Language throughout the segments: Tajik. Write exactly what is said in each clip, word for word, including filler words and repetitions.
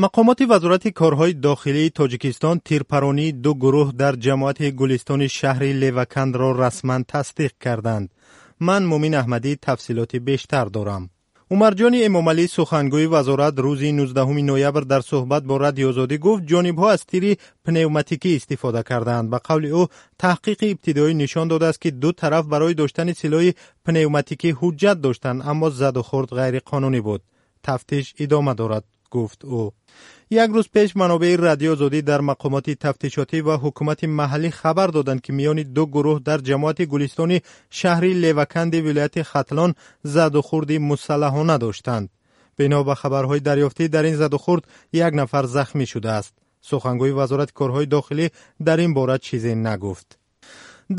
Мақомоти Вазорати корҳои дохилии Тоҷикистон тирпаронии ду гурӯҳ дар ҷамоати Гулистони шаҳри Левакандро расман тасдиқ карданд. Ман, Мумин Аҳмадӣ, тафсилоти бештар дорам. Умарҷони Эмомалӣ, сухангӯи вазорат, рӯзи нуздаҳуми ноябр дар суҳбат бо Радиои Озодӣ гуфт, ҷонибҳо аз тири пневматикӣ истифода кардаанд. Ба қавли ӯ, таҳқиқи ибтидоӣ нишон додааст, ки ду тараф барои доштани силоҳи пневматикӣ ҳуҷҷат доштанд, аммо задухӯрд ғайриқонунӣ буд. Тафтиш идома дорад, гуфт ӯ. Як рӯз пеш манобеи Радиои Озодӣ дар мақомоти тафтишотӣ ва ҳукумати маҳаллӣ хабар доданд, ки миёни ду гурӯҳ дар ҷамоати Гулистони шаҳри Леваканди вилояти Хатлон задухӯрди мусаллаҳона доштанд. Бино ба хабарҳои дарёфтӣ, дар ин задухӯрд як нафар захмӣ шудааст. Сухангӯи Вазорати корҳои дохилӣ дар ин бора чизе нагуфт.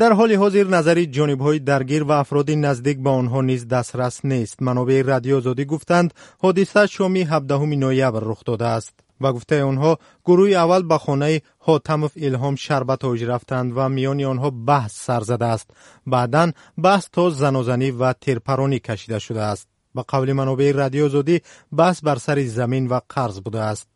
Дар ҳоли ҳозир назари ҷонибҳои даргир ва афроди наздик ба онҳо низ дастрас нест. Манобеи Радиои Озодӣ гуфтанд, ҳодиса шоми ҳабдаҳуми ноябр рух додааст. Ба гуфтаи онҳо, гурӯҳи аввал ба хонаи Ҳотамов Илҳом Шарбатович рафтанд ва миёни онҳо баҳс сар задааст. Баъдан баҳс то занозанӣ ва тирпаронӣ кашида шудааст. Ба қавли манобеи Радиои Озодӣ, баҳс бар сари замин ва қарз будааст.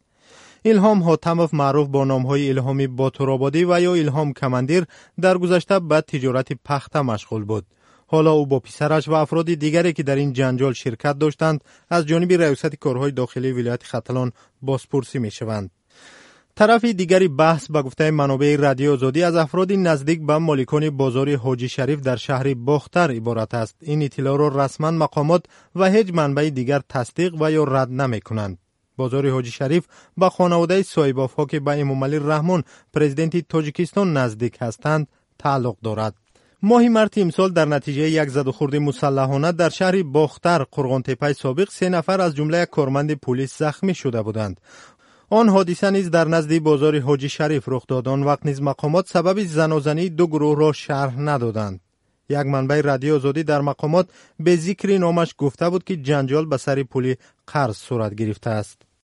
Илҳом Ҳотамов, маъруф бо номҳои Илҳоми Ботурободӣ ва ё Илҳом Командир, дар гузашта ба тиҷорати пахта машғул буд. Ҳоло ӯ бо писараш ва афроди дигаре, ки дар ин ҷанҷол ширкат доштанд, аз ҷониби Раёсати корҳои дохилии вилояти Хатлон бозпурсӣ мешаванд. Тарафи дигари баҳс, ба гуфтаи манобеи Радиои Озодӣ, аз афроди наздик ба моликони бозори Ҳоҷи Шариф дар шаҳри Бохтар иборат аст. Ин иттилоъро расман мақомот ва ҳеҷ манбаи дигар тасдиқ ва ё рад намекунанд. Бозори Ҳоҷи Шариф ба хонаводаи Соҳибовҳо, ки ба Эмомалӣ Раҳмон, президенти Тоҷикистон, наздик ҳастанд, тааллуқ дорад. Моҳи марти имсол дар натиҷаи як задухӯрди мусаллаҳона дар шаҳри Бохтар, Қурғонтеппаи собиқ, се нафар, аз ҷумла як корманди пулис, захмӣ шуда буданд. Он ҳодиса низ дар назди бозори Ҳоҷи Шариф рух дод. Он вақт низ мақомот сабаби занозании ду гурӯҳро шарҳ надоданд. Як манбаи Радиои Озодӣ дар мақомот бе зикри номаш гуфта буд, ки ҷанҷол ба сари пули қарз сурат гирифтааст.